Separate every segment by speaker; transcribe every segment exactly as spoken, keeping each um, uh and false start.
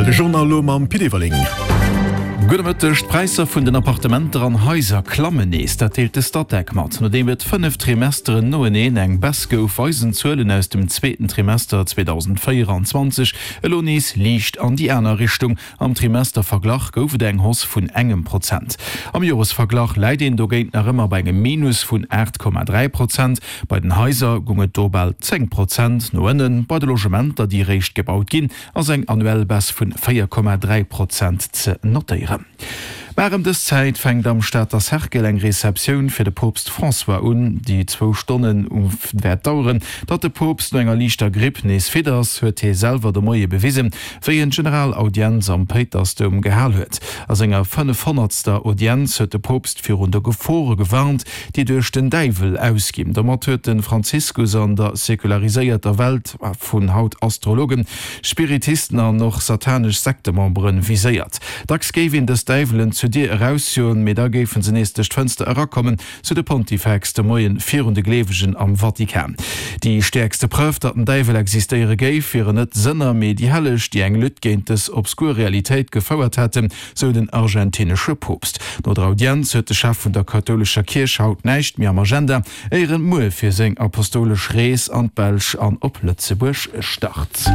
Speaker 1: De Journal elo mam Pit Everling.
Speaker 2: Gudde Mëtteg, D'Präisser vun den Appartementer an Haiser klammen nees, dat deelt de Statec mat. Nodeem et fënnef Trimesteren noeneen eng Baisse gouf, weisen d'Zuelen aus dem zweeten Trimester zweedausendvéierundzwanzeg elo nees liicht an déi aner Richtung. Am Trimesterverglach gouf et eng Hausse vun engem Prozent. Am Joresverglach läit een dogéint nach ëmmer bei engem Minus vun aacht Komma dräi Prozent. Bei den Haiser gung et do bal zéng Prozent no ënnen, bei de Logementer, déi eréischt gebaut ginn, ass eng annuell Baisse vun véier Komma dräi Prozent ze notéieren. Mar ëm dës Zäit fänkt am Stater Cercle eng Receptioun fir de Poopst François un, déi zwou Stonnen wäert daueren. Datt de Poopst no enger liichter Gripp nees fit ass, huet hie selwer de Moie bewisen, wéi en d'Generalaudienz am Péitersdoum gehal huet. A senger fënnefhonnertster Audienz huet de Poopst virun de Gefore gewarnt, déi duerch den Däiwel ausginn. Domat huet de Franziskus an der sekulariséierter Welt vun haut Astrologen, Spiritisten an och satanesch Sektememberen viséiert. Dacks géif een dës Däiwelen zur Dier erausjoen, mee da géifen se nees duerch d'Fënster erakommen, sou de Pontifex de Moien virun de Gleewegen am Vatikan. Déi stäerkste Preuve, datt den Däiwel existéiere géif, wieren net d'Sënner, mee déi Helleg, déi eng Lutte géint dës obskur Realitéit gefouert hätten, sou den argentinesche Poopst. No der Audienz huet de Chef vun der kathoulescher Kierch haut näischt méi am Agenda, éier en muer fir seng apostolesch Rees an d'Belsch an op Lëtzebuerg start.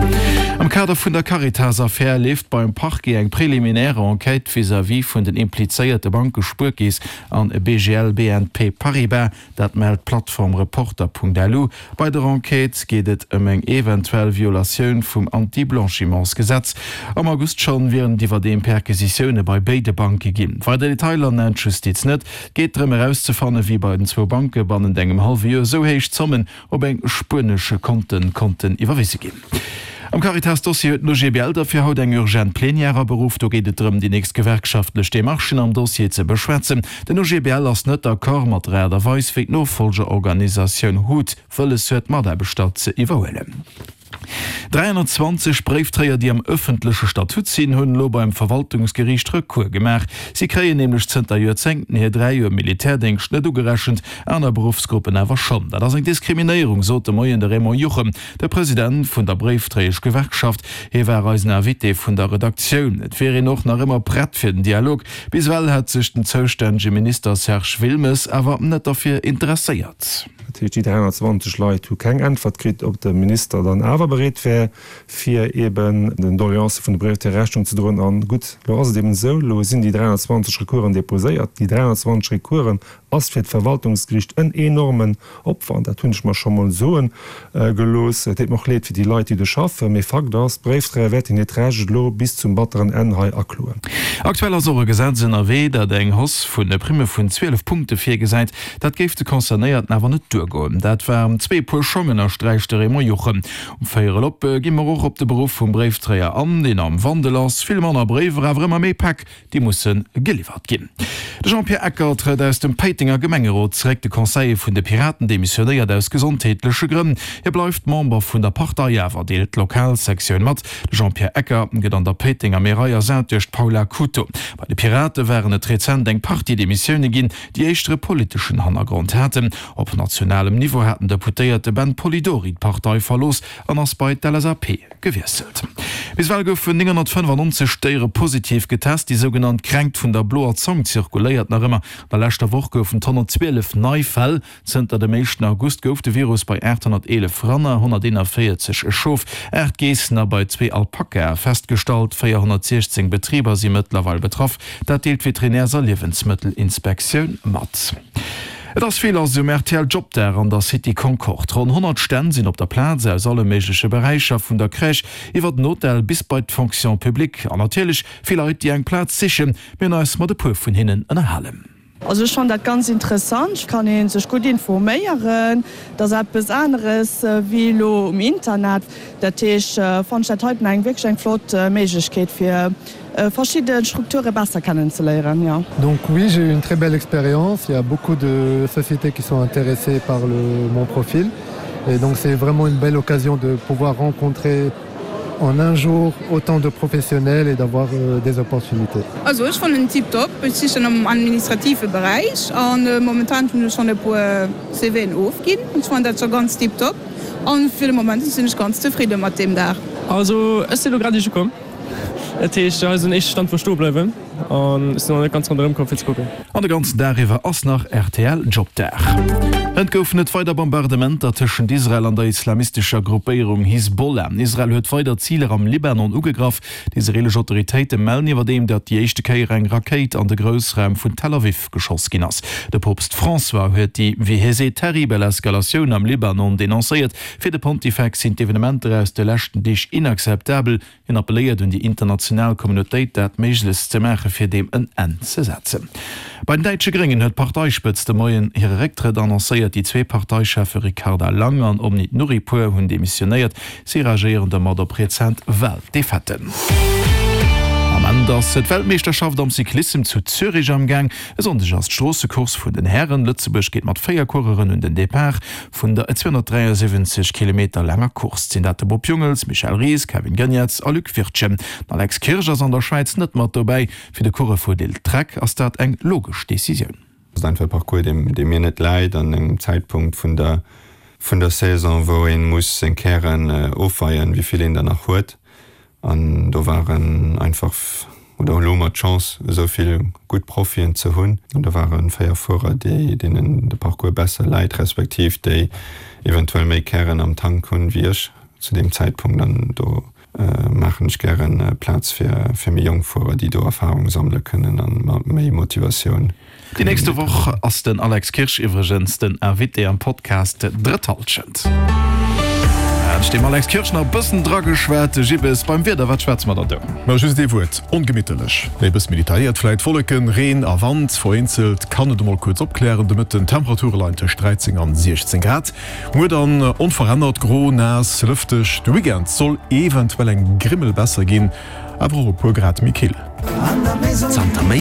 Speaker 2: Am Kader vun der Caritas-Affär leeft beim Parquet eng préliminaire Enquête vis-à-vis vun den implizéierte Banke Spuerkeess an B G L B N P Paribas. Dat mellt d'Plattform Reporter Punkt L U. Bei der Enquête geet et ëm eng eventuell Violatioun vum Anti-Blanchiments-Gesetz. Am August schonn wieren et iwwerdeem Perquisitioune bei béide Banke ginn. Weider Detailer nennt d'Justiz net. Et geet drëm erauszefannen, wéi bei den zwou Banke bannent engem hallwe Joer esou héich Zommen op eng spuenesche Konte konnten iwwerwise ginn. Am Caritas-Dossier huet den O G B L derfir haut eng urgent Plenière aberuff. Do geet et drëm, déi nächst gewerkschaftlech Demarchen am Dossier ze beschwätzen. Den O G B L ass net d'accord mat der Aart a Weis, wéi d'Nofollgerorganisatioun hut wëlles huet, d'Mataarbechter ze iwwerhuelen. dräihonnertzwanzeg Bréiftréier, déi am ëffentleche Statut sinn, hunn elo beim Verwaltungsgeriicht Recours gemaach. Si kréien nämlech zënter Joerzéngten hir dräi Joer Militärdéngscht net ugerechent, aner Beruffsgruppen awer schonn. Dat ass eng Diskriminéierung, sot de Moien de Raymond Juchem, de President vun der Bréiftréieschgewerkschaft. Hie war eisen Invité vun der Redaktioun. Et wier een och nach ëmmer prett fir den Dialog. Bis ewell hätt sech den zoustännege Minister Serge Wilmes awer net derfir interesséiert.
Speaker 3: Dat heescht, déi dräihonnertzwanzeg Leit hu keng Äntwert kritt, ob de Minister dann awer bereet wär, fir eben den Doleancë vun de Brevettier Rechnung ze droen. An gutt, elo ass et eben esou, elo sinn déi dräihonnertzwanzeg Recoursen déposéiert. Déi dräihonnertzwanzeg Recoursen ass fir d'Verwaltungsgericht en enormen Opwand, dat hunn ech mer scho mol soe gelooss. Et deet mer och leed fir déi Leit, déi do schaffen, mee Fakt ass, d'Bréifdréier wäerten hiert Recht elo bis zum batteren Enn hei akloen.
Speaker 2: Aktuell ass och e Gesetz ënnerwee, dat eng Hausse vun de Primme vun zwielef Punkte virgesäit. Dat géif de Concernéierten awer net duergoen. Dat waren zwee Puer Schong, ënnersträicht de Raymond Juchem. Um Véierel op gi mer och op de Beruff vum Bréifdréier an, deen am Wandel ass. Vill manner Bréiwer, awer ëmmer méi Päck, déi musse geliwwert ginn. De Jean-Pierre Ecker trëtt aus dem Péitenger Gemengerot zeréck. De Conseiller vun de Piraten demissionéiert aus gesondheetleche Grënn. Hie bleift Member vun der Partei awer, deelt d'Lokalsektioun mat. De Jean-Pierre Ecker gëtt an der Péitenger Märei ersat duerch d'Paula Couto. Bei de Pirate waren et rezent eng Partie Demissioune ginn, déi éischter e politeschen Hannergrond haten. Op nationalem Niveau hat den Deputéierte Ben Polidori d'Partei verlooss an ass bei d'L S A P gewiesselt. Bis ewell goufen nénghonnertfënnefannonzeg Déiere positiv getest. Déi sougenannt Kränkt vun der bloer Zong zirkuléiert nach ëmmer. An der leschter Woch goufen et honnertzwielef nei Fäll. Zënter dem éischten August gouf de Virus bei aathonnerteelef Ranner, honnerteenavéierzeg Schof, aacht Geessen a bei zwee Alpakae festgestallt. véierhonnertsiechzéng Betriber si mëttlerweil betraff. Dat deelt d'Veterinärs a Liewensmëttelinspektioun mat. Et ass vill lass um R T L Jobdag an der City Concorde. Ronn honnert Stänn sinn op der Plaz aus alle méigleche Beräicher, vun der Crèche iwwer den Hotel bis bei d'Fonction publique. An natierlech vill Leit, déi eng Plaz sichen. Mir hunn eis mat e puer vun hinnen ënnerhalen.
Speaker 4: Also ech fannen dat ganz interessant, kann ee sech gutt informéieren, dat ass eppes aneres wéi elo um Internet. Dat heescht fannen ech dat heiten eng wierklech eng flott Méiglechkeet fir verschidde Strukture besser kennenzeléieren, jo.
Speaker 5: Donc oui, j'ai eu une très belle expérience, il y a beaucoup de sociétés qui sont intéressées par le mon profil et donc c'est vraiment une belle occasion de pouvoir rencontrer en un jour autant de professionnels et d'avoir euh, des opportunités.
Speaker 6: Also ech fannen en tiptop, ech sichen am administrative Beräich an momentan hunn ech schonn e puer C V'en ofginn. Ech fannen dat scho ganz tiptop an fir de Moment sinn ech ganz zefridde mat deem Dag.
Speaker 7: Also ech sinn elo grad eréischt ukomm.
Speaker 1: Dat heescht, hei ass den éischte Stand wou ech stoe bleiwen an ech sinn nach net ganz ronderëm komm fir ze kucken.
Speaker 2: An de ganzen Dag iwwer ass nach rtl Jobdag. Et goufen et weider Bombardementer tëschent Israel an der islamistescher Gruppéierung Hisbollah. Israel huet weider Ziler am Libanon ugegraff. Déi israeelesch Autoritéite mellen iwwerdeem, datt déi éischte Kéier eng Rakéit an de Groussraum vun Tel Aviv geschoss ginn ass. De Poopst François huet déi, wéi hie seet, terribel Eskalatioun am Libanon denoncéiert. Fir de Pontifex sinn d'Evenementer aus de leschten Deeg inakzeptabel. Hien appelléiert un déi international Communautéit, dat Méiglechst ze maachen, fir deem en Enn ze setzen. Bei den däitsche Gréngen huet d'Parteispëtzt de Moien hire Récktrëtt annoncéiert. Déi zwee Parteicheffe Ricarda Lang an Omid Nouripour hunn demissionéiert. Si reagéieren domat op rezent Waldefaiten. Am Ament ass d'Weltmeeschterschaft am Cyclissem zu Zürich am Gaang. E Sonndeg ass d'Stroossecourse vun den Hären. Lëtzebuerg geet mat véier Coureuren un den Depart vun der zweehonnertdräiasiwwenzeg Kilometer laanger Course. Et sinn dat de Bob Jungels, Michel Ries, Kevin Geniets a Luc Wirtgen. Den Alex Kirsch ass an der Schwäiz net mat dobäi. Fir de Coureur vu Lidl-Trek ass dat eng logesch Decisioun.
Speaker 7: Ass einfach e Parcours, dee mir net läit an engem Zäitpunkt vun der vun der Saison, wou ee muss seng Kären ofweien, wéi vill een der nach huet. An do waren einfach, oder elo hu mer d'Chance, esou vill gutt Profien ze hunn. An do ware véier Fuerer, déi, deenen de Parcours besser läit, respektiv déi eventuell méi Kären am Tank hunn wéi ech zu deem Zäitpunkt. An do maachen ech gäre Plaz fir, fir méi jonk Fuerer, déi do Erfarung sammele kënnen a mat méi Motivatioun.
Speaker 2: Déi nächste Woch ass den Alex Kirsch iwwregens den Invité am Podcast Drëtt Hallschent. Hat dem Alex Kirsch nach e bëssen drageschwat. Gibbes, beim Wieder, wat schwätze mer dann do?
Speaker 8: Ma just ee Wuert, ongemitterlech. Méi e bësse méi detailléiert vläit, Wolleken, Reen a Wand, vereenzelt kann et emol kuerz opklären de Mëtten. D'Temperature leien tëscht dräizéng an siechzéng Grad. Muer dann onverännert gro, naass, lëfteg. De Weekend soll eventuell eng Grimmel besser ginn, awer och e puer Grad méi kill.
Speaker 2: Zanter méi.